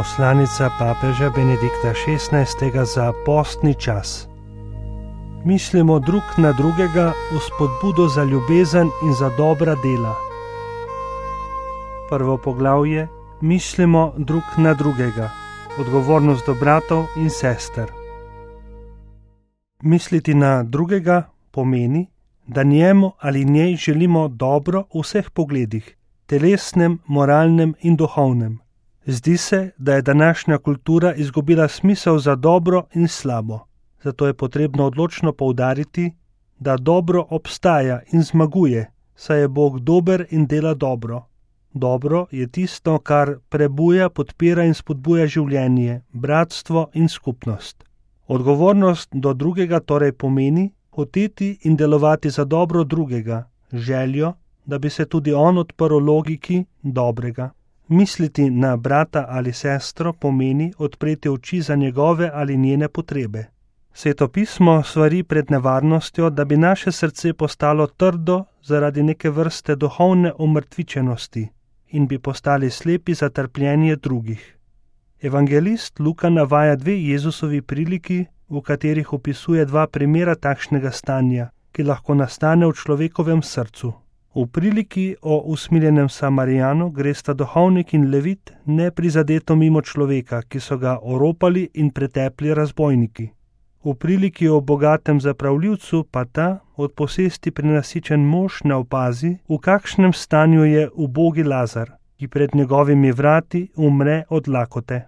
Poslanica papeža Benedikta XVI za postni čas. Mislimo drug na drugega v spodbudo za ljubezen in za dobra dela. Prvo poglavje: mislimo drug na drugega. Odgovornost do bratov in sester. Misliti na drugega pomeni, da njemu ali njej želimo dobro v vseh pogledih, telesnem, moralnem in duhovnem. Zdi se, da je današnja kultura izgubila smisel za dobro in slabo. Zato je potrebno odločno poudariti, da dobro obstaja in zmaguje, saj je Bog dober in dela dobro. Dobro je tisto, kar prebuja, podpira in spodbuja življenje, bratstvo in skupnost. Odgovornost do drugega torej pomeni hoteti in delovati za dobro drugega, željo, da bi se tudi on odprl logiki dobrega. Misliti na brata ali sestro pomeni odpreti oči za njegove ali njene potrebe. Sveto pismo svari pred nevarnostjo, da bi naše srce postalo trdo zaradi neke vrste duhovne omrtvičenosti in bi postali slepi za trpljenje drugih. Evangelist Luka navaja dve Jezusovi priliki, v katerih opisuje dva primera takšnega stanja, ki lahko nastane v človekovem srcu. V priliki o usmiljenem Samarijanu gresta duhovnik in levit neprizadeto mimo človeka, ki so ga oropali in pretepli razbojniki. V priliki o bogatem zapravljivcu pa ta od posesti prenasičen mož ne opazi, v kakšnem stanju je ubogi Lazar, ki pred njegovimi vrati umre od lakote.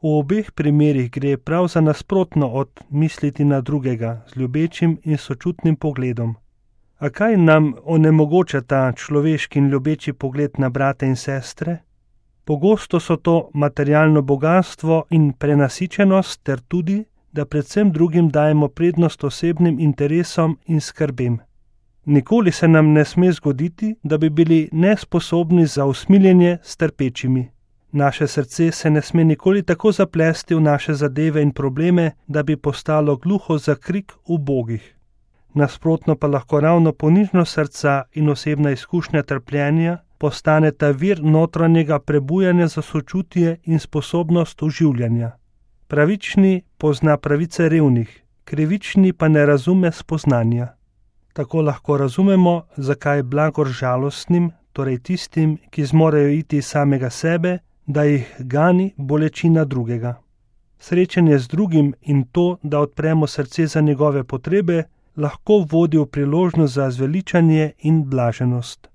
V obeh primerih gre prav za nasprotno od misliti na drugega z ljubečim in sočutnim pogledom. A kaj nam onemogoča ta človeški in ljubeči pogled na brate in sestre? Pogosto so to materialno bogastvo in prenasičenost ter tudi, da predvsem drugim dajemo prednost osebnim interesom in skrbem. Nikoli se nam ne sme zgoditi, da bi bili nesposobni za usmiljenje s trpečimi. Naše srce se ne sme nikoli tako zaplesti v naše zadeve in probleme, da bi postalo gluho za krik ubogih. Nasprotno pa lahko ravno ponižnost srca in osebna izkušnja trpljenja postaneta vir notranjega prebujanja za sočutje in sposobnost oživljanja. Pravični pozna pravice revnih, krivični pa ne razume spoznanja. Tako lahko razumemo, zakaj je blagor žalostnim, torej tistim, ki zmorejo iti iz samega sebe, da jih gani bolečina drugega. Srečanje z drugim in to, da odpremo srce za njegove potrebe, lahko vodi v priložnost za zveličanje in blaženost.